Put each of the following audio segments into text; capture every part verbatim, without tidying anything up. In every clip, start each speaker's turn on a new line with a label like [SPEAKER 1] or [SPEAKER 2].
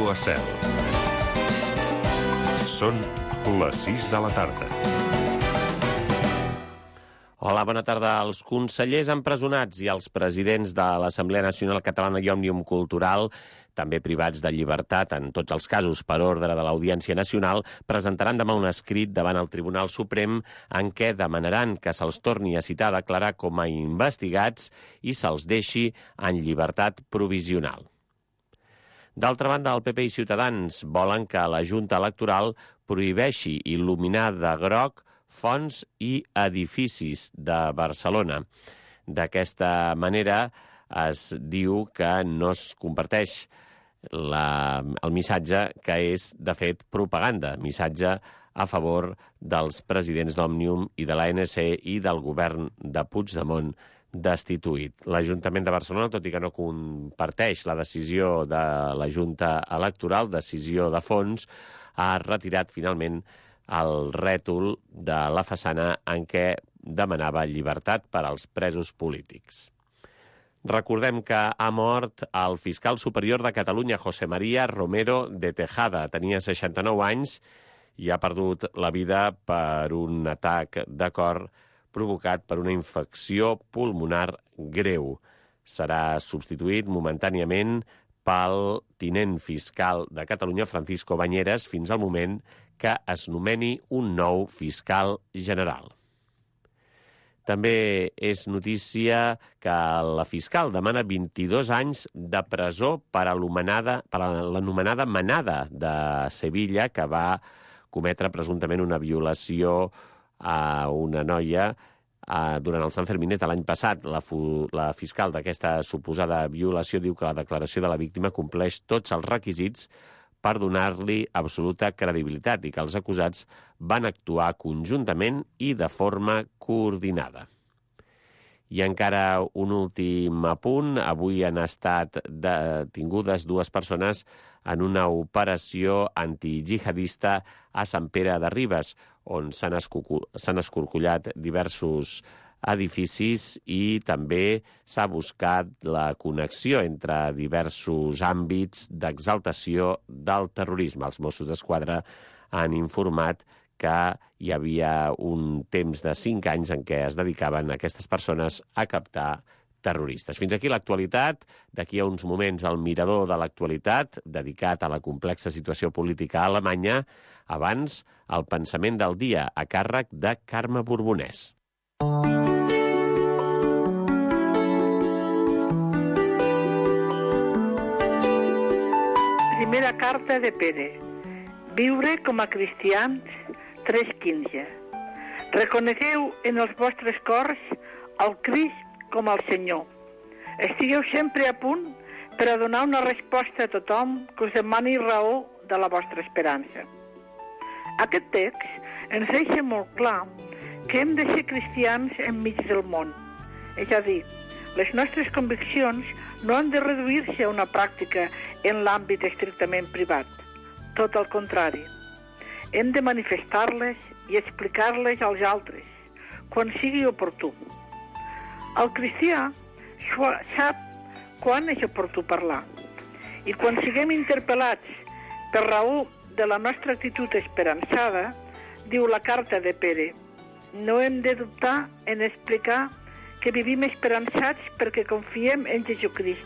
[SPEAKER 1] Ràdio Estel. Són les sis de la tarda.
[SPEAKER 2] Hola, bona tarda. Els consellers empresonats i els presidents de l'Assemblea Nacional Catalana i Òmnium Cultural, també privats de llibertat en tots els casos per ordre de l'Audiència Nacional, presentaran demà un escrit davant el Tribunal Suprem en què demanaran que se'ls torni a citar a declarar com a investigats i se'ls deixi en llibertat provisional. D'altra banda, el P P i Ciutadans volen que la Junta Electoral prohibeixi il·luminar de groc fonts i edificis de Barcelona. D'aquesta manera es diu que no es comparteix la, el missatge que és, de fet, propaganda, missatge a favor dels presidents d'Òmnium i de l'A N C i del govern de Puigdemont destituït. L'Ajuntament de Barcelona, tot i que no comparteix la decisió de la Junta Electoral, decisió de fons, ha retirat finalment el rètol de la façana en què demanava llibertat per als presos polítics. Recordem que ha mort el fiscal superior de Catalunya, José María Romero de Tejada. Tenia seixanta-nou anys i ha perdut la vida per un atac de cor provocat per una infecció pulmonar greu. Serà substituït momentàniament pel tinent fiscal de Catalunya, Francisco Bañeres, fins al moment que es nomeni un nou fiscal general. També és notícia que la fiscal demana vint-i-dos anys de presó per a l'anomenada manada de Sevilla, que va cometre presumptament una violació a una noia durant els Sanfermines de l'any passat. La, la fiscal d'aquesta suposada violació diu que la declaració de la víctima compleix tots els requisits per donar-li absoluta credibilitat i que els acusats van actuar conjuntament i de forma coordinada. I encara un últim apunt. Avui han estat detingudes dues persones en una operació antijihadista a Sant Pere de Ribes, on s'han escorcollat diversos edificis i també s'ha buscat la connexió entre diversos àmbits d'exaltació del terrorisme. Els Mossos d'Esquadra han informat que hi havia un temps de cinc anys en què es dedicaven aquestes persones a captar terroristes. Fins aquí l'actualitat. D'aquí a uns moments el mirador de l'actualitat, dedicat a la complexa situació política a Alemanya. Abans, el pensament del dia, a càrrec de Carme Borbonès.
[SPEAKER 3] Primera carta de Pere. Viure com a cristians, tres quinze. Reconegueu en els vostres cors el Crist com el Senyor. Estigueu sempre a punt per a donar una resposta a tothom que us demani raó de la vostra esperança. Aquest text ens deixa molt clar que hem de ser cristians enmig del món. És a dir, les nostres conviccions no han de reduir-se a una pràctica en l'àmbit estrictament privat. Tot el contrari. Hem de manifestar-les i explicar-les als altres, quan sigui oportú. El cristià sap quan és oportú parlar. I quan siguem interpel·lats per raó de la nostra actitud esperançada, diu la carta de Pere, no hem de dubtar en explicar que vivim esperançats perquè confiem en Jesucrist,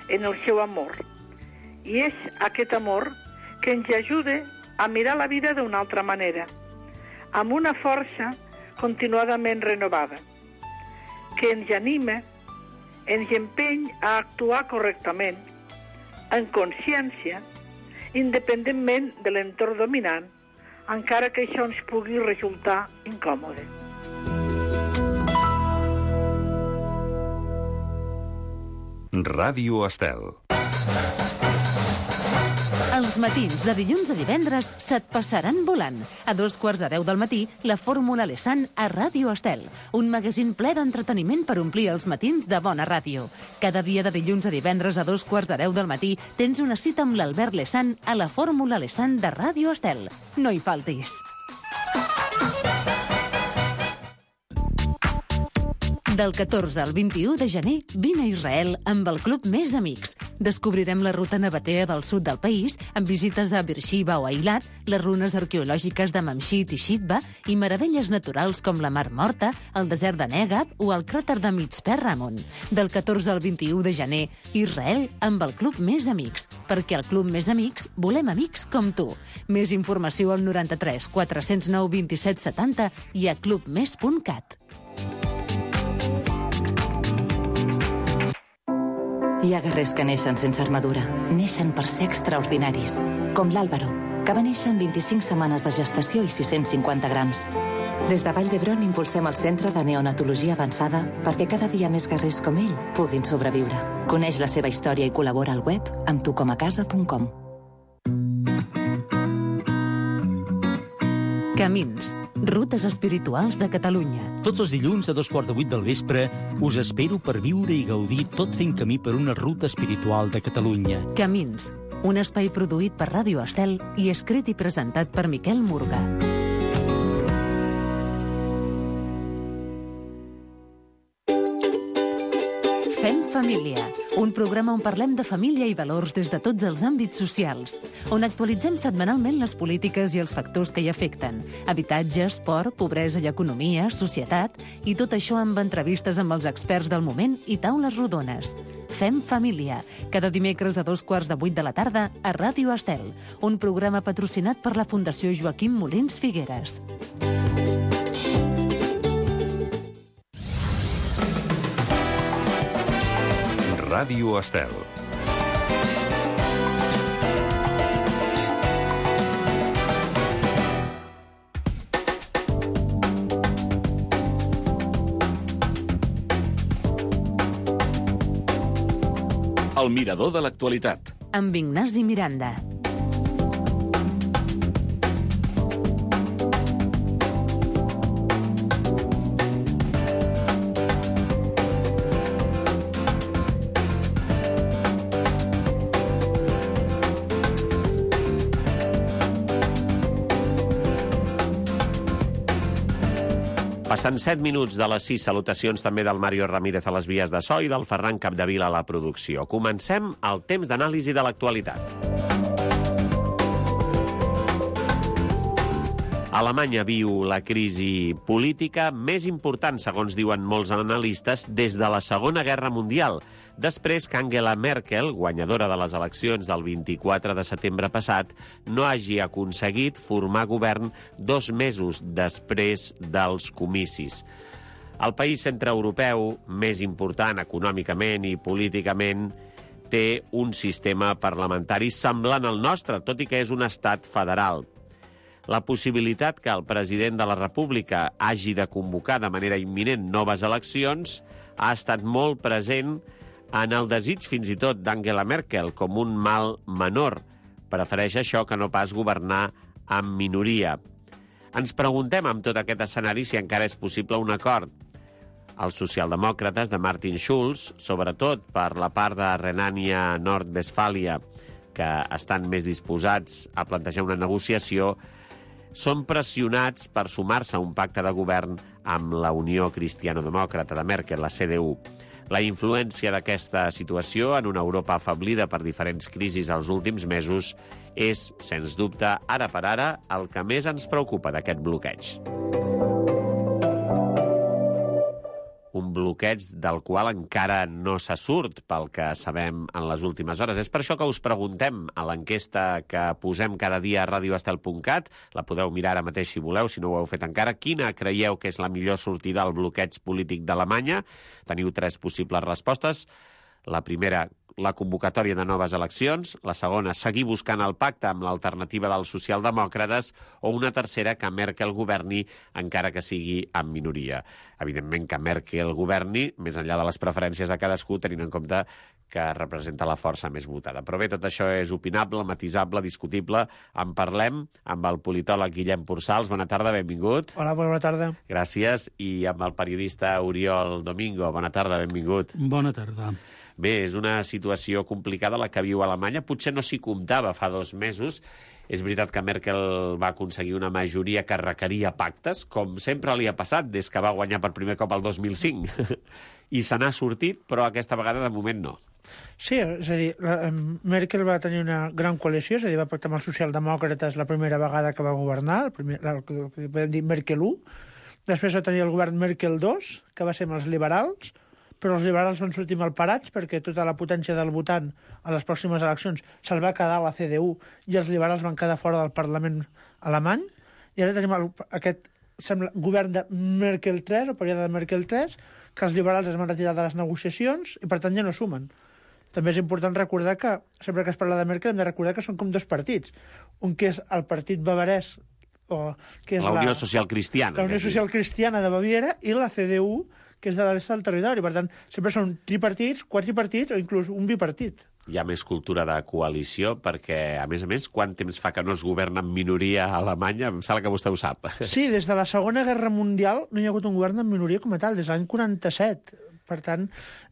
[SPEAKER 3] en el seu amor. I és aquest amor que ens ajuda a mirar la vida d'una altra manera, amb una força continuadament renovada, que ens anima, ens empeny a actuar correctament, en consciència, independentment de l'entorn dominant, encara que això ens pugui resultar incòmode.
[SPEAKER 1] Ràdio Estel.
[SPEAKER 4] Els matins de dilluns a divendres se't passaran volant. A dos quarts de deu del matí, la Fórmula Lesan a Ràdio Estel. Un magazín ple d'entreteniment per omplir els matins de bona ràdio. Cada dia de dilluns a divendres a dos quarts de deu del matí tens una cita amb l'Albert Lesan a la Fórmula Lesan de Ràdio Estel. No hi faltis. Del catorze al vint-i-u de gener, vine a Israel amb el Club Més Amics. Descobrirem la ruta nabatea del sud del país, amb visites a Beersheba o Eilat, les runes arqueològiques de Mamshit i Shitba i meravelles naturals com la Mar Morta, el desert de Negab o el cràter de Mitzpe Ramon. Del catorze al vint-i-u de gener, Israel amb el Club Més Amics. Perquè al Club Més Amics volem amics com tu. Més informació al noranta-tres quatre-cents nou vint-i-set setanta i a club més punt cat.
[SPEAKER 5] Hi ha guerrers que neixen sense armadura. Neixen per ser extraordinaris. Com l'Àlvaro, que va néixer amb vint-i-cinc setmanes de gestació i sis-cents cinquanta grams. Des de Vall d'Hebron impulsem el Centre de Neonatologia Avançada perquè cada dia més guerrers com ell puguin sobreviure. Coneix la seva història i col·labora al web amb tu com a casa punt com.
[SPEAKER 4] Camins, rutes espirituals de Catalunya.
[SPEAKER 6] Tots els dilluns a dos quarts de vuit del vespre us espero per viure i gaudir tot fent camí per una ruta espiritual de Catalunya.
[SPEAKER 4] Camins, un espai produït per Ràdio Estel i escrit i presentat per Miquel Murga. Fem família, un programa on parlem de família i valors des de tots els àmbits socials, on actualitzem setmanalment les polítiques i els factors que hi afecten, habitatge, esport, pobresa i economia, societat, i tot això amb entrevistes amb els experts del moment i taules rodones. Fem família, cada dimecres a dos quarts de vuit de la tarda a Ràdio Estel, un programa patrocinat per la Fundació Joaquim Molins Figueres.
[SPEAKER 1] Ràdio Estel.
[SPEAKER 7] El mirador de l'actualitat.
[SPEAKER 4] Amb Ignasi Miranda.
[SPEAKER 2] Passant set minuts de les sis, salutacions també del Mario Ramírez a les vies de so i del Ferran Capdevila a la producció. Comencem el temps d'anàlisi de l'actualitat. Alemanya viu la crisi política més important, segons diuen molts analistes, des de la Segona Guerra Mundial, després que Angela Merkel, guanyadora de les eleccions del vint-i-quatre de setembre passat, no hagi aconseguit formar govern dos mesos després dels comicis. El país centreeuropeu més important econòmicament i políticament té un sistema parlamentari semblant al nostre, tot i que és un estat federal. La possibilitat que el president de la República hagi de convocar de manera imminent noves eleccions ha estat molt present en el desig fins i tot d'Angela Merkel com un mal menor. Prefereix això que no pas governar amb minoria. Ens preguntem amb tot aquest escenari si encara és possible un acord. Els socialdemòcrates de Martin Schulz, sobretot per la part de Renània-Nord-Westfàlia, que estan més disposats a plantejar una negociació, són pressionats per sumar-se a un pacte de govern amb la Unió Cristiano-Demòcrata de Merkel, la C D U. La influència d'aquesta situació en una Europa afeblida per diferents crisis els últims mesos és, sens dubte, ara per ara, el que més ens preocupa d'aquest bloqueig. Un bloqueig del qual encara no se surt pel que sabem en les últimes hores. És per això que us preguntem a l'enquesta que posem cada dia a radio estel punt cat, la podeu mirar ara mateix si voleu, si no ho heu fet encara, quina creieu que és la millor sortida al bloqueig polític d'Alemanya? Teniu tres possibles respostes. La primera, la convocatòria de noves eleccions, la segona, seguir buscant el pacte amb l'alternativa dels socialdemòcrates, o una tercera, que Merkel governi encara que sigui en minoria. Evidentment que Merkel governi, més enllà de les preferències de cadascú, tenint en compte que representa la força més votada. Però bé, tot això és opinable, matisable, discutible. En parlem amb el politòleg Guillem Pursals. Bona tarda, benvingut.
[SPEAKER 8] Hola, bona tarda.
[SPEAKER 2] Gràcies. I amb el periodista Oriol Domingo. Bona tarda, benvingut.
[SPEAKER 8] Bona tarda.
[SPEAKER 2] Bé, és una situació complicada la que viu Alemanya. Potser no s'hi comptava fa dos mesos. És veritat que Merkel va aconseguir una majoria que requeria pactes, com sempre li ha passat des que va guanyar per primer cop el dos mil cinc. I se n'ha sortit, però aquesta vegada de moment no.
[SPEAKER 8] Sí, és a dir, la, Merkel va tenir una gran coalició, és a dir, va pactar amb els socialdemòcrates la primera vegada que va governar, el primer, el que podem dir Merkel u. Després va tenir el govern Merkel dos, que va ser amb els liberals, però els liberals van sortir malparats perquè tota la potència del votant a les pròximes eleccions se'l va quedar a la C D U i els liberals van quedar fora del Parlament alemany. I ara tenim el, aquest sembla, govern de Merkel tres, o període de Merkel tres, que els liberals es van retirar de les negociacions i, per tant, ja no sumen. També és important recordar que, sempre que es parla de Merkel, hem de recordar que són com dos partits. Un que és el partit bavarès, o que és
[SPEAKER 2] la Unió
[SPEAKER 8] la,
[SPEAKER 2] Social Cristiana.
[SPEAKER 8] la Unió Social Cristiana de Baviera, i la C D U, que és de la resta del territori. Per tant, sempre són tripartits, quadripartits o inclús un bipartit.
[SPEAKER 2] Hi ha més cultura de coalició perquè, a més a més, quant temps fa que no es governa en minoria a Alemanya? Em sembla que vostè ho sap.
[SPEAKER 8] Sí, des de la Segona Guerra Mundial no hi ha hagut un govern en minoria com a tal, des de l'any quaranta-set. Per tant,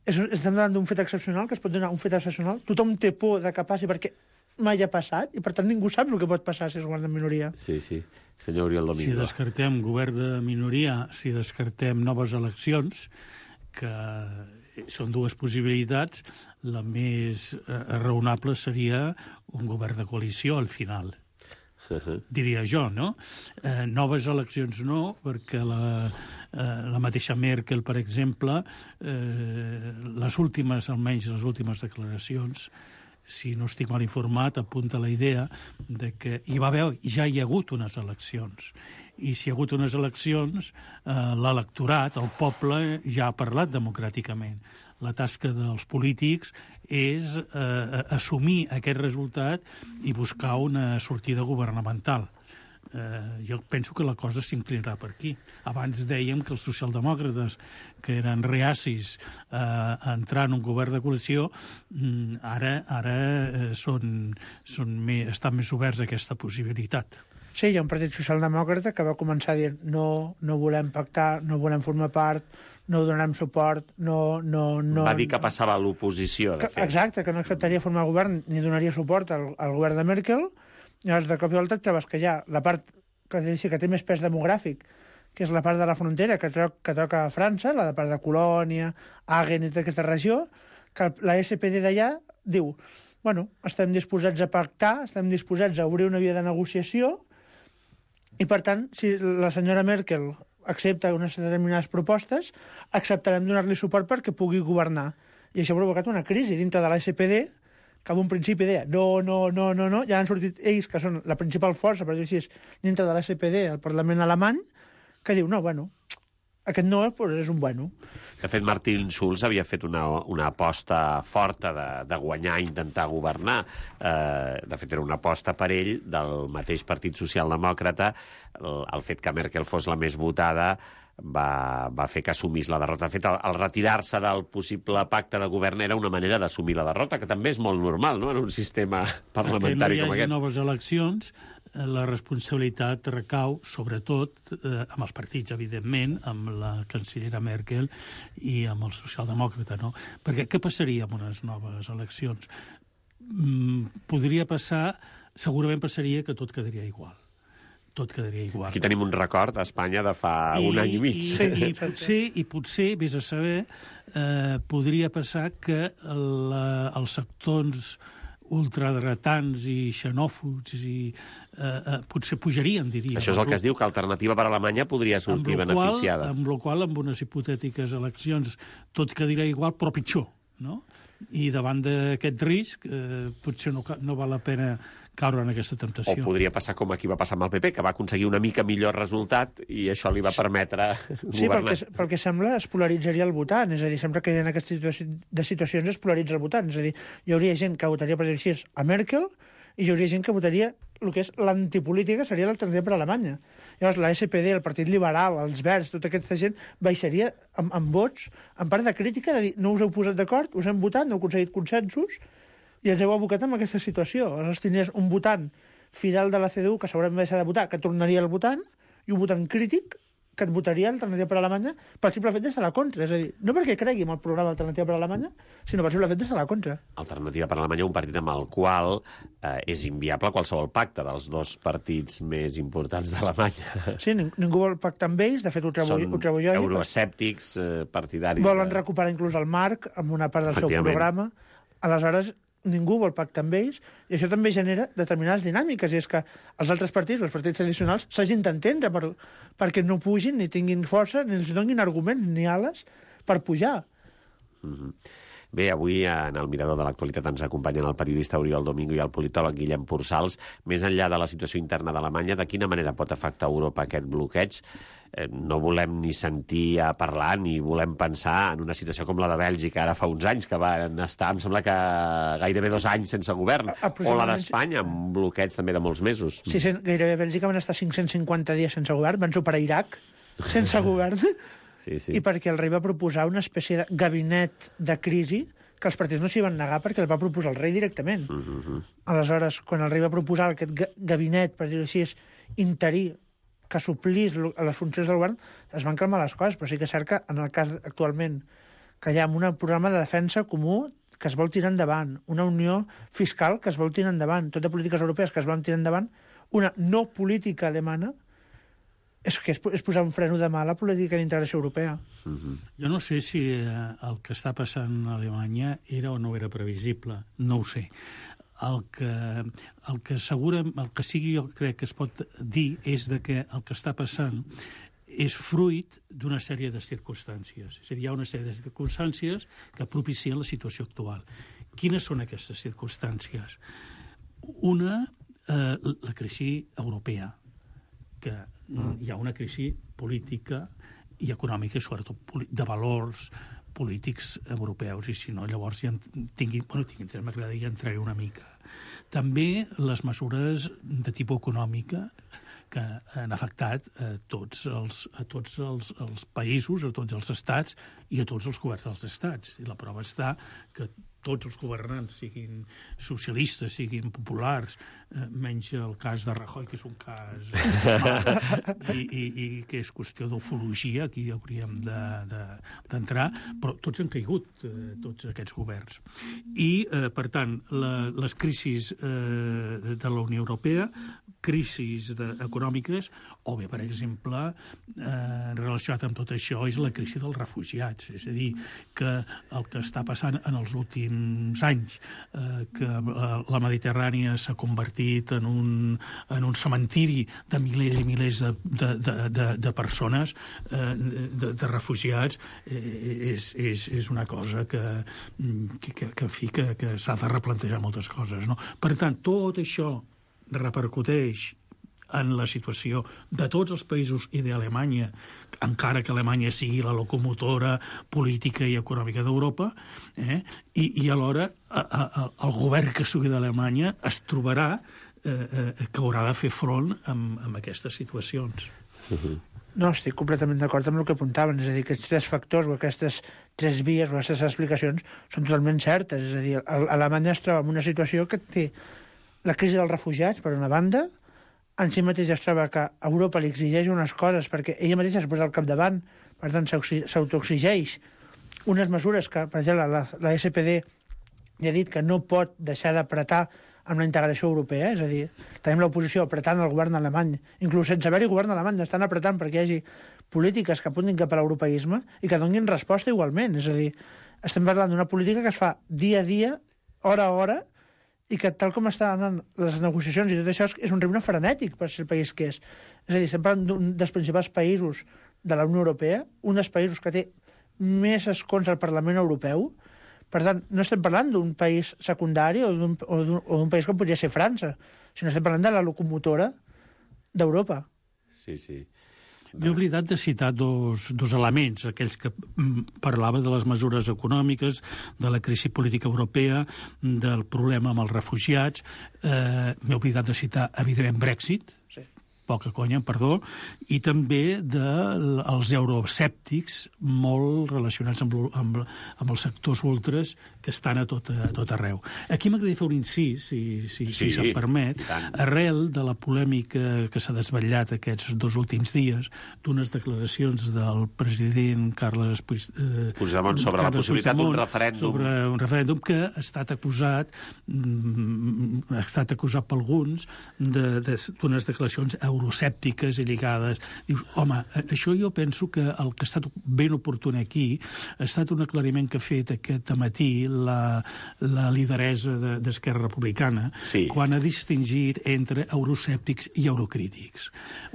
[SPEAKER 8] és, estem davant d'un fet excepcional, que es pot donar un fet excepcional. Tothom té por de que passi perquè mai ha passat, i per tant ningú sap el que pot passar si es governa en minoria.
[SPEAKER 2] Sí, sí. Senyor Oriol Domingo.
[SPEAKER 9] Si descartem govern de minoria, si descartem noves eleccions, que són dues possibilitats, la més eh, raonable seria un govern de coalició al final. Uh-huh. Diria jo, no? Eh, noves eleccions no, perquè la, eh, la mateixa Merkel, per exemple, eh, les últimes, almenys les últimes declaracions, si no estic mal informat, apunta la idea de que hi va haver, ja hi ha hagut unes eleccions. I si hi ha hagut unes eleccions, eh, l'electorat, el poble, ja ha parlat democràticament. La tasca dels polítics és eh, assumir aquest resultat i buscar una sortida governamental. Eh, jo penso que la cosa s'inclinarà per aquí. Abans dèiem que els socialdemòcrates, que eren reacis eh, a entrar en un govern de coalició, ara, ara eh, són, són més, estan més oberts a aquesta possibilitat.
[SPEAKER 8] Sí, hi ha un partit socialdemòcrata que va començar dient no, no volem pactar, no volem formar part, no donarem suport, no... no, no
[SPEAKER 2] va dir que passava a l'oposició, de fet.
[SPEAKER 8] Exacte, que no acceptaria formar govern ni donaria suport al, al govern de Merkel. Llavors, de cop i volta, trobes que hi ha la part que, que té més pes demogràfic, que és la part de la frontera que, to que toca a França, la de part de Colònia, Hagen i tota aquesta regió, que la S P D d'allà diu, bueno, estem disposats a pactar, estem disposats a obrir una via de negociació, i per tant, si la senyora Merkel accepta unes determinades propostes, acceptarem donar-li suport perquè pugui governar. I això ha provocat una crisi dintre de la S P D, que en un principi deia no, no, no, no, no, ja han sortit ells, que són la principal força, per dir així, dintre de la S P D, el Parlament alemany, que diu, no, bueno, aquest no pues, és un bueno.
[SPEAKER 2] De fet, Martin Schulz havia fet una, una aposta forta de, de guanyar i intentar governar. Eh, de fet, era una aposta per ell del mateix Partit Socialdemòcrata. El, el fet que Merkel fos la més votada va, va fer que assumís la derrota. De fet, el, el retirar-se del possible pacte de govern era una manera d'assumir la derrota, que també és molt normal, no?, en un sistema parlamentari com aquest.
[SPEAKER 9] Perquè no hi hagi noves eleccions, la responsabilitat recau, sobretot, eh, amb els partits, evidentment, amb la cancellera Merkel i amb el socialdemòcrata, no? Perquè què passaria amb unes noves eleccions? Mm, podria passar, segurament passaria que tot quedaria igual. Tot quedaria igual.
[SPEAKER 2] Aquí tenim un record a Espanya de fa I, un any i mig.
[SPEAKER 9] I, i, i, potser, i potser, vés a saber, eh, podria passar que la, els sectors ultradretans i xenòfobs i eh, eh, potser pujarien, diria.
[SPEAKER 2] Això és el que es diu, que Alternativa per Alemanya podria sortir amb beneficiada.
[SPEAKER 9] Qual, amb la qual, amb unes hipotètiques eleccions, tot quedaria igual, però pitjor, no? I davant d'aquest risc, eh, potser no, no val la pena caure en aquesta temptació.
[SPEAKER 2] O podria passar com aquí va passar amb el P P, que va aconseguir una mica millor resultat i això li va permetre
[SPEAKER 8] sí, governar. Sí, pel, pel que sembla es polaritzaria el votant, és a dir, sempre que hi ha aquestes situa de situacions es polaritza el votant, és a dir, hi hauria gent que votaria, per dir així, a Merkel, i hi hauria gent que votaria el que és l'antipolítica, seria l'alternativa per a Alemanya. Llavors, la S P D, el Partit Liberal, els Verds, tota aquesta gent baixaria amb, amb vots, en part de crítica, de dir, no us heu posat d'acord, us hem votat, no heu aconseguit consensos, i ens heu abocat en aquesta situació. Aleshores tindries un votant fidel de la C D U que segurament va deixar de votar, que tornaria al votant, i un votant crític que et votaria Alternativa per Alemanya pel simple fet d'estar a la contra. És a dir, no perquè cregui en el programa Alternativa per Alemanya, sinó pel simple fet d'estar a la contra.
[SPEAKER 2] Alternativa per Alemanya, un partit amb el qual eh, és inviable qualsevol pacte dels dos partits més importants d'Alemanya.
[SPEAKER 8] Sí, ning ningú vol pactar amb ells, de fet ho trobo,
[SPEAKER 2] Són
[SPEAKER 8] ho trobo jo.
[SPEAKER 2] euroescèptics, eh, partidaris...
[SPEAKER 8] Volen
[SPEAKER 2] de...
[SPEAKER 8] recuperar inclús el marc amb una part del seu programa. Aleshores, ningú vol pactar amb ells, i això també genera determinades dinàmiques, i és que els altres partits, els partits tradicionals, s'hagin d'entendre per, perquè no pugin, ni tinguin força, ni els donin arguments, ni ales, per pujar.
[SPEAKER 2] Mm-hmm. Bé, avui en el Mirador de l'Actualitat ens acompanyen el periodista Oriol Domingo i el politòleg Guillem Pursals. Més enllà de la situació interna d'Alemanya, de quina manera pot afectar a Europa aquest bloqueig? Eh, no volem ni sentir a parlar ni volem pensar en una situació com la de Bèlgica ara fa uns anys, que van estar, em sembla que gairebé dos anys sense govern, o la d'Espanya, amb un bloqueig també de molts mesos.
[SPEAKER 8] Sí, gairebé Bèlgica van estar cinc-cents cinquanta dies sense govern, van superar Iraq sense govern. Sí, sí. I perquè el rei va proposar una espècie de gabinet de crisi que els partits no s'hi van negar perquè el va proposar el rei directament. Uh-huh. Aleshores, quan el rei va proposar aquest gabinet, per dir-ho així, interí, que suplís les funcions del govern, es van calmar les coses, però sí que és cert que en el cas actualment que hi ha un programa de defensa comú que es vol tirar endavant, una unió fiscal que es vol tirar endavant, tot de polítiques europees que es volen tirar endavant, una no política alemana, és que és, és posar un freno de mà a la política d'integració europea.
[SPEAKER 9] Uh-huh. Jo no sé si eh, el que està passant a Alemanya era o no era previsible, no ho sé. El que, el que segura, el que sigui jo crec que es pot dir és de que el que està passant és fruit d'una sèrie de circumstàncies. És a dir, hi ha una sèrie de circumstàncies que propicien la situació actual. Quines són aquestes circumstàncies? Una, eh, la crisi europea, que hi ha una crisi política i econòmica, i sobretot de valors polítics europeus, i si no, llavors ja tinguin, bueno, tinguin, m'agradaria entrar una mica. També les mesures de tipus econòmica que han afectat a tots els, a tots els, els països, a tots els estats i a tots els governs dels estats. I la prova està que tots els governants, siguin socialistes, siguin populars, eh, menys el cas de Rajoy, que és un cas eh, i, i, i que és qüestió d'ufologia, aquí hauríem d'entrar, de, de, però tots han caigut, eh, tots aquests governs. I, eh, per tant, la, les crisis eh, de la Unió Europea, crisis de, econòmiques, o bé, per exemple, eh, relacionat amb tot això, és la crisi dels refugiats. És a dir, que el que està passant en els últims anys, eh, que la Mediterrània s'ha convertit en un, en un cementiri de milers i milers de, de, de, de, de persones, eh, de, de refugiats, eh, és, és, és una cosa que, que, que, que, que, que s'ha de replantejar moltes coses, no? Per tant, tot això repercuteix en la situació de tots els països i d'Alemanya, encara que Alemanya sigui la locomotora política i econòmica d'Europa, eh? I, i alhora a, a, el govern que sigui d'Alemanya es trobarà eh, eh, que haurà de fer front amb, amb aquestes situacions.
[SPEAKER 2] Uh-huh.
[SPEAKER 8] No, estic completament d'acord amb el que apuntaven, és a dir, que aquests tres factors o aquestes tres vies o aquestes explicacions són totalment certes, és a dir, Alemanya es troba en una situació que té la crisi dels refugiats, per una banda, en si mateix es troba que Europa li exigeix unes coses perquè ella mateixa es posa al capdavant, per tant s'autoexigeix unes mesures que, per exemple, la, la S P D ja ha dit que no pot deixar d'apretar amb la integració europea, és a dir, tenim l'oposició apretant el govern alemany, inclús sense haver-hi govern alemany, estan apretant perquè hi hagi polítiques que apuntin cap a l'europeisme i que donin resposta igualment, és a dir, estem parlant d'una política que es fa dia a dia, hora a hora, i que tal com estan anant les negociacions i tot això és un ritme frenètic per ser el país que és. És a dir, estem parlant d'un dels principals països de la Unió Europea, un dels països que té més escons al Parlament Europeu. Per tant, no estem parlant d'un país secundari o d'un país com podria ser França, sinó estem parlant de la locomotora d'Europa.
[SPEAKER 2] Sí, sí.
[SPEAKER 9] M'he oblidat de citar dos, dos elements, aquells que parlava de les mesures econòmiques, de la crisi política europea, del problema amb els refugiats. Eh, M'he oblidat de citar, evidentment, Brexit, sí. poca conya, perdó, i també dels euroescèptics molt relacionats amb, amb, amb els sectors ultres que estan a tot, a tot arreu. Aquí m'agradaria fer un incís, si, si, sí, si se'm permet, arrel de la polèmica que s'ha desvetllat aquests dos últims dies d'unes declaracions del president Carles Puigdemont eh,
[SPEAKER 2] Puigdemont sobre Carles la possibilitat d'un referèndum.
[SPEAKER 9] Sobre un referèndum que ha estat acusat, mm, ha estat acusat per alguns d'unes de, declaracions euroscèptiques i lligades. Dius, home, això jo penso que el que ha estat ben oportú aquí ha estat un aclariment que ha fet aquest matí la, la lideresa d'Esquerra de, Republicana, sí, quan ha distingit entre euroscèptics i eurocrítics.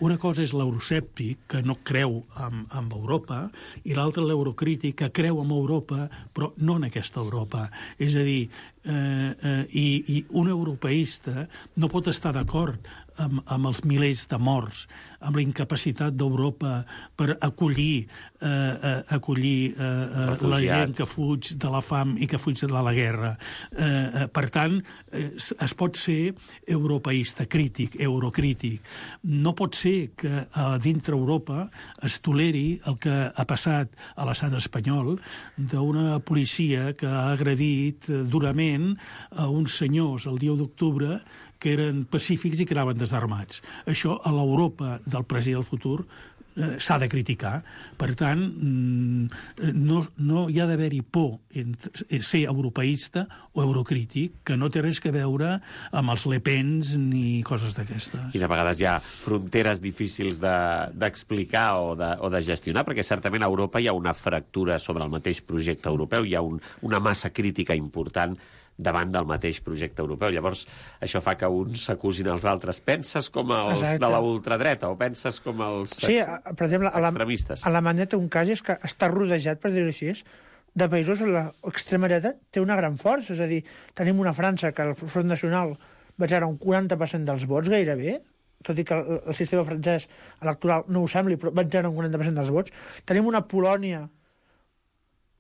[SPEAKER 9] Una cosa és l'euroscèptic, que no creu en, en Europa, i l'altra l'eurocrític, que creu en Europa, però no en aquesta Europa. És a dir, eh, eh, i, i un europeista no pot estar d'acord amb, amb els milers de morts, amb la incapacitat d'Europa per acollir, eh, eh, acollir eh, la gent que fuig de la fam i que fuig de la guerra. Eh, eh, per tant, eh, es pot ser europeista crític, eurocrític. No pot ser que a dintre Europa es toleri el que ha passat a l'estat espanyol d'una policia que ha agredit durament a uns senyors el dia u d'octubre que eren pacífics i que anaven desarmats. Això a l'Europa del present i del futur eh, s'ha de criticar. Per tant, mm, no, no hi ha d'haver-hi por entre ser europeista o eurocrític, que no té res a veure amb els Le Pens ni coses d'aquestes.
[SPEAKER 2] I de vegades hi ha fronteres difícils d'explicar de, o, de, o de gestionar, perquè certament a Europa hi ha una fractura sobre el mateix projecte europeu, hi ha un, una massa crítica important davant del mateix projecte europeu. Llavors, això fa que uns s'acusin als altres. Penses com els Exacte. de la ultradreta o penses com els
[SPEAKER 8] sí, per exemple,
[SPEAKER 2] extremistes?
[SPEAKER 8] A Alemanya té un cas, és que està rodejat, per dir-ho així, de països on l'extrema dreta té una gran força. És a dir, tenim una França que el Front Nacional va generar un quaranta per cent dels vots, gairebé, tot i que el, el sistema francès electoral no ho sembli, però va generar un quaranta per cent dels vots. Tenim una Polònia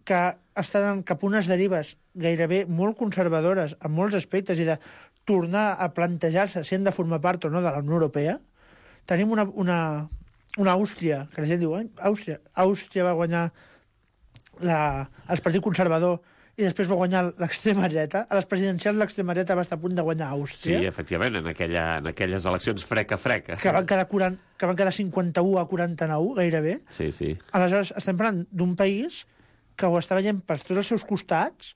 [SPEAKER 8] que estan cap a unes derives gairebé molt conservadores en molts aspectes i de tornar a plantejar-se si han de formar part o no de la Unió Europea. Tenim una, una, una Àustria, que la gent diu, Àustria, Àustria va guanyar la, el Partit Conservador i després va guanyar l'extrema dreta. A les presidencials l'extrema dreta va estar a punt de guanyar Àustria.
[SPEAKER 2] Sí, efectivament, en, aquella, en aquelles eleccions freca-freca.
[SPEAKER 8] Que van quedar, quaranta, que van quedar cinquanta-u a quaranta-nou, gairebé.
[SPEAKER 2] Sí, sí.
[SPEAKER 8] Aleshores, estem parlant d'un país que ho està veient per tots els seus costats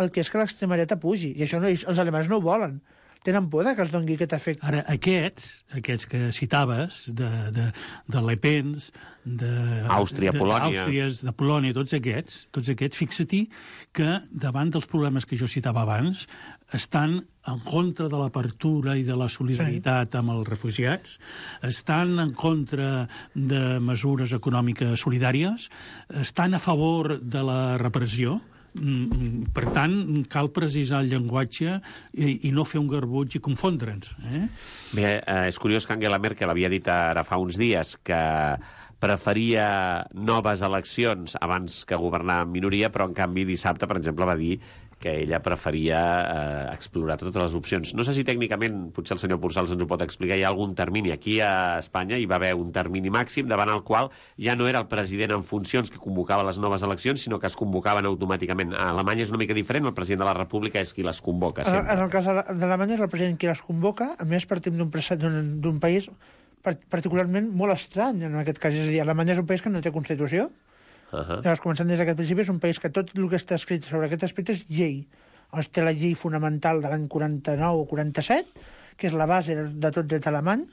[SPEAKER 8] el que és que l'extrema dreta pugi. I això no, els alemanys no ho volen. Tenen por que els doni aquest efecte.
[SPEAKER 9] Ara, aquests, aquests que citaves, de, de, de Le Pens,
[SPEAKER 2] d'Àustria, Polònia,
[SPEAKER 9] Àustries, de Polònia, tots aquests, tots aquests, fixa-t'hi que davant dels problemes que jo citava abans, estan en contra de l'apertura i de la solidaritat amb els refugiats, estan en contra de mesures econòmiques solidàries, estan a favor de la repressió. Per tant, cal precisar el llenguatge i, i no fer un garbuig i confondre'ns. Eh?
[SPEAKER 2] Bé, eh, és curiós que Angela Merkel havia dit ara fa uns dies que preferia noves eleccions abans que governar en minoria, però en canvi dissabte, per exemple, va dir que ella preferia eh, explorar totes les opcions. No sé si tècnicament, potser el senyor Pursals ens ho pot explicar, hi ha algun termini. Aquí a Espanya hi va haver un termini màxim davant el qual ja no era el president en funcions que convocava les noves eleccions, sinó que es convocaven automàticament. A Alemanya és una mica diferent, el president de la República és qui les convoca sempre.
[SPEAKER 8] En el cas d'Alemanya és el president qui les convoca, a més partim d'un país particularment molt estrany en aquest cas. És a dir, Alemanya és un país que no té Constitució. Uh -huh. Llavors, començant des d'aquest principi, és un país que tot el que està escrit sobre aquest aspecte és llei. Llavors, té la llei fonamental de l'any quaranta-nou o quaranta-set, que és la base de, de tot dret alemany.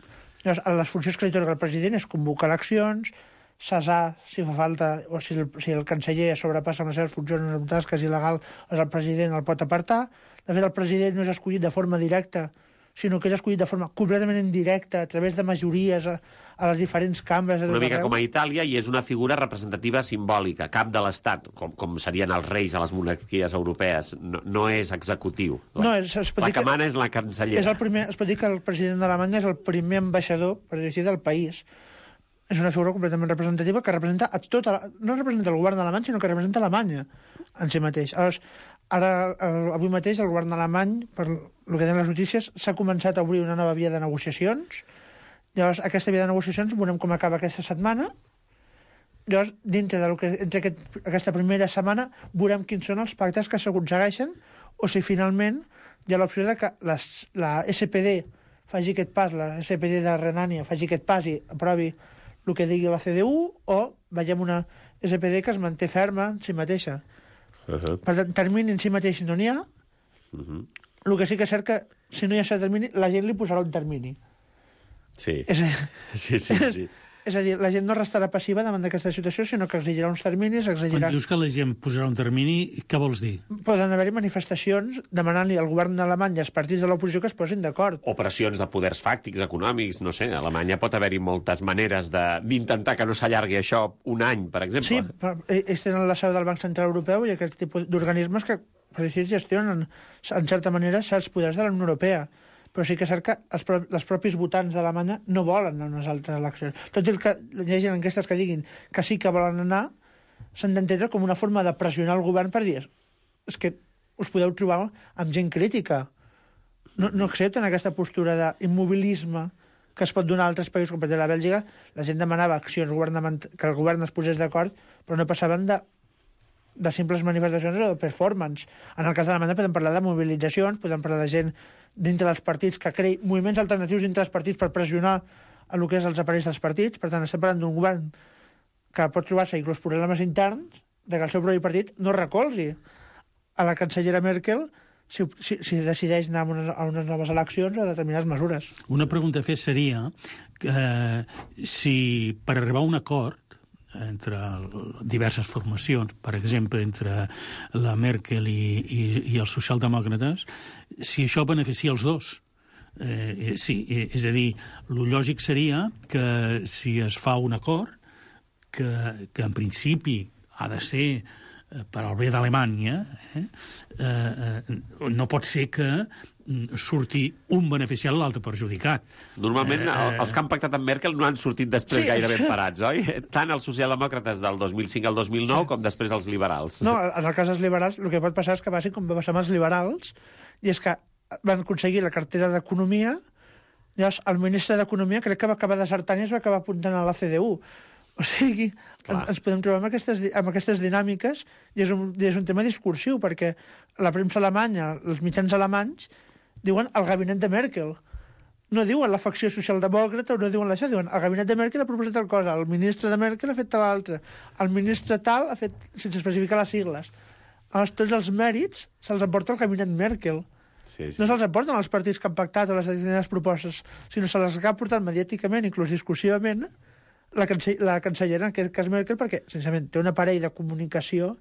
[SPEAKER 8] Llavors, les funcions que li torna el president és convocar eleccions, cessar, si fa falta, o si el, si el canceller sobrepassa amb les seves funcions o tasques il·legal, doncs el president el pot apartar. De fet, el president no és escollit de forma directa, sinó que és escollit de forma completament indirecta, a través de majories a, a les diferents cambres.
[SPEAKER 2] Una mica com a Itàlia, i és una figura representativa simbòlica, cap de l'Estat, com, com serien els reis a les monarquies europees. No, no és executiu. La,
[SPEAKER 8] no, és, es pot
[SPEAKER 2] la
[SPEAKER 8] dir
[SPEAKER 2] que mana és la cancellera.
[SPEAKER 8] És el primer, es pot dir que el president d'Alemanya és el primer ambaixador, per dir així, del país. És una figura completament representativa que representa a tota... No representa el govern alemany, sinó que representa Alemanya en si mateix. Aleshores, ara, avui mateix, el govern alemany, per el que tenen les notícies, s'ha començat a obrir una nova via de negociacions Llavors, aquesta via de negociacions veurem com acaba aquesta setmana. Llavors, dintre del que entre aquest, aquesta primera setmana, veurem quins són els pactes que s'aconsegueixen o si finalment hi ha l'opció de que les, la S P D faci aquest pas, la S P D de Renània faci aquest pas i aprovi el que digui la C D U, o veiem una S P D que es manté ferma en si mateixa. Uh-huh. Per tant, termini en si mateix no n'hi ha. Uh-huh. El que sí que és cert que si no hi ha cert termini, la gent li posarà un termini.
[SPEAKER 2] Sí.
[SPEAKER 8] És a...
[SPEAKER 2] sí, sí, sí.
[SPEAKER 8] És a dir, la gent no restarà passiva davant d'aquesta situació, sinó que exigirà uns terminis, exigirà...
[SPEAKER 9] Quan dius que la gent posarà un termini, què vols dir?
[SPEAKER 8] Poden haver-hi manifestacions demanant-li al govern d'Alemanya i als partits de l'oposició que es posin d'acord.
[SPEAKER 2] Operacions de poders fàctics, econòmics, no sé, a Alemanya pot haver-hi moltes maneres d'intentar que no s'allargui això un any, per exemple.
[SPEAKER 8] Sí, però ells tenen la seu del Banc Central Europeu i aquest tipus d'organismes que, per dir, gestionen, en certa manera, certs poders de la Unió Europea. Però sí que és cert que els, pro els propis votants d'Alemanya no volen anar a unes altres eleccions. Tot el que hi ha enquestes que diguin que sí que volen anar, s'han d'entendre com una forma de pressionar el govern per dir és que us podeu trobar amb gent crítica. No, no accepten aquesta postura d'immobilisme que es pot donar a altres països, com per exemple a Bèlgica. La gent demanava accions que el govern es posés d'acord, però no passaven de, de simples manifestacions o de performance. En el cas d'Alemanya podem parlar de mobilitzacions, podem parlar de gent dintre dels partits, que creï moviments alternatius dintre dels partits per pressionar a el que és els aparells dels partits. Per tant, estem parlant d'un govern que pot trobar-se inclús problemes interns de que el seu propi partit no recolzi a la cancellera Merkel si, si, si decideix anar a unes, a unes noves eleccions o a determinades mesures.
[SPEAKER 9] Una pregunta a fer seria que, eh, si per arribar a un acord entre diverses formacions, per exemple, entre la Merkel i, i, i els socialdemòcrates, si això beneficia els dos. Eh, sí, és a dir, el lògic seria que si es fa un acord, que, que en principi ha de ser per al bé d'Alemanya, eh, eh, no pot ser que surti un beneficiat i l'altre perjudicat.
[SPEAKER 2] Normalment, eh, eh... els que han pactat amb Merkel no han sortit després sí. gaire ben parats, oi? Tant els socialdemòcrates del dos mil cinc al dos mil nou sí. com després els liberals.
[SPEAKER 8] No, en el cas dels liberals, el que pot passar és que passi com va passar amb els liberals, i és que van aconseguir la cartera d'Economia, llavors el ministre d'Economia crec que va acabar desertant i es va acabar apuntant a la C D U. O sigui, ens, ens podem trobar amb aquestes, amb aquestes dinàmiques, i és un, és un tema discursiu, perquè la premsa alemanya, els mitjans alemanys, diuen el gabinet de Merkel. No diuen la facció socialdemòcrata, o no diuen això, diuen el gabinet de Merkel ha proposat tal cosa, el ministre de Merkel ha fet tal altra, el ministre tal ha fet, sense especificar les sigles. Llavors, tots els mèrits se'ls emporta el gabinet Merkel. Sí, sí. No se'ls emporten els partits que han pactat o les determinades propostes, sinó se les ha portat mediàticament, inclús discursivament, la, cance la cancellera, en aquest cas Merkel, perquè, sincerament, té un aparell de comunicació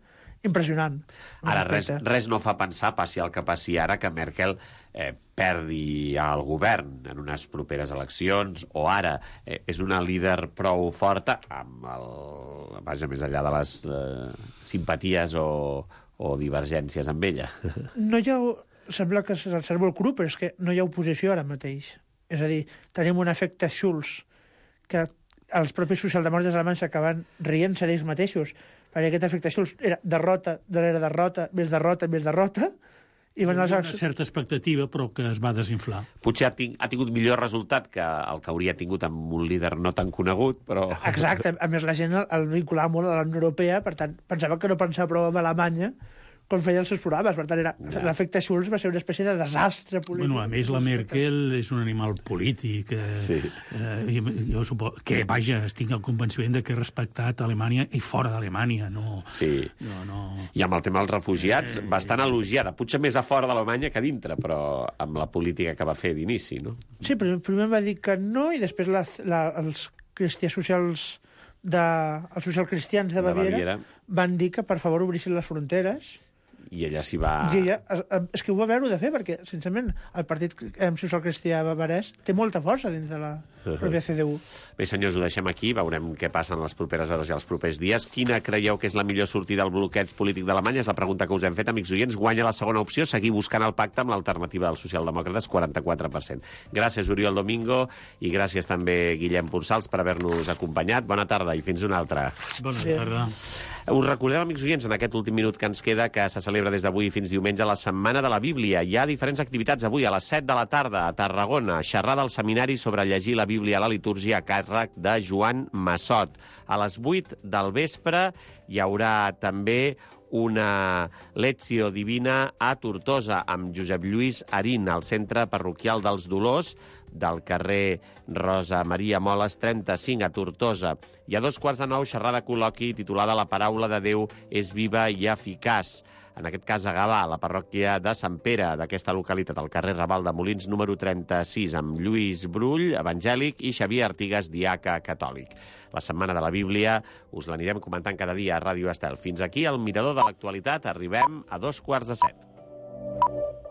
[SPEAKER 8] impressionant.
[SPEAKER 2] Ara, res, res no fa pensar, passi el que passi ara, que Merkel eh, perdi el govern en unes properes eleccions, o ara eh, és una líder prou forta, amb el... vaja, més enllà de les eh, simpaties o, o divergències amb ella.
[SPEAKER 8] No hi ha... Sembla que se'l servei el cru, però és que no hi ha oposició ara mateix. És a dir, tenim un efecte Schulz, que els propis socialdemòcrates alemanys acaben rient-se d'ells mateixos, perquè aquest efecte Schulz era derrota, darrere derrota, més derrota, més derrota, i van
[SPEAKER 9] les... Una certa expectativa, però que es va desinflar.
[SPEAKER 2] Potser ha, ting ha tingut millor resultat que el que hauria tingut amb un líder no tan conegut, però...
[SPEAKER 8] Exacte, a més la gent el, el vinculava molt a la Unió Europea, per tant, pensava que no pensava prou en Alemanya, com feia els seus programes. Per tant, era... ja. L'efecte Schulz va ser una espècie de desastre polític.
[SPEAKER 9] Bueno, a més, la Merkel és un animal polític. Eh, sí. eh, jo suposo que, vaja, estic al convenciment de que he respectat Alemanya i fora d'Alemanya. No,
[SPEAKER 2] sí.
[SPEAKER 9] No, no...
[SPEAKER 2] I amb el tema dels refugiats, eh... bastant elogiada. Potser més a fora d'Alemanya que a dintre, però amb la política que va fer d'inici, no?
[SPEAKER 8] Sí, però primer va dir que no, i després la, la, els cristians socials de, els socialcristians de Baviera, de Baviera van dir que, per favor, obrissin les fronteres.
[SPEAKER 2] I ella s'hi va...
[SPEAKER 8] I ella, és que ho va veure de fer, perquè, sincerament, el Partit Social-Cristià bavarès té molta força dins de la pròpia C D U.
[SPEAKER 2] Bé, senyors, ho deixem aquí, veurem què passa en les properes hores i els propers dies. Quina creieu que és la millor sortida al bloqueig polític d'Alemanya? És la pregunta que us hem fet, amics oients. Guanya la segona opció, seguir buscant el pacte amb l'alternativa dels socialdemòcrates, quaranta-quatre per cent. Gràcies, Oriol Domingo, i gràcies també, Guillem Pursals, per haver-nos acompanyat. Bona tarda i fins una altra.
[SPEAKER 9] Bona tarda.
[SPEAKER 2] Us recordem, amics oients, en aquest últim minut que ens queda, que se celebra des d'avui fins diumenge la Setmana de la Bíblia. Hi ha diferents activitats avui a les set de la tarda a Tarragona, xerrada al seminari sobre llegir la Bíblia Bíblia a la litúrgia a càrrec de Joan Massot. A les vuit del vespre hi haurà també una Lectio Divina a Tortosa amb Josep Lluís Arín al Centre Parroquial dels Dolors del carrer Rosa Maria Moles trenta-cinc a Tortosa. I a dos quarts de nou, xerrada col·loqui titulada La paraula de Déu és viva i eficaç. En aquest cas a Gavà, la parròquia de Sant Pere d'aquesta localitat, al carrer Raval de Molins número trenta-sis, amb Lluís Brull, evangèlic, i Xavier Artigas, diaca catòlic. La Setmana de la Bíblia us l'anirem comentant cada dia a Ràdio Estel. Fins aquí el Mirador de l'Actualitat. Arribem a dos quarts de set.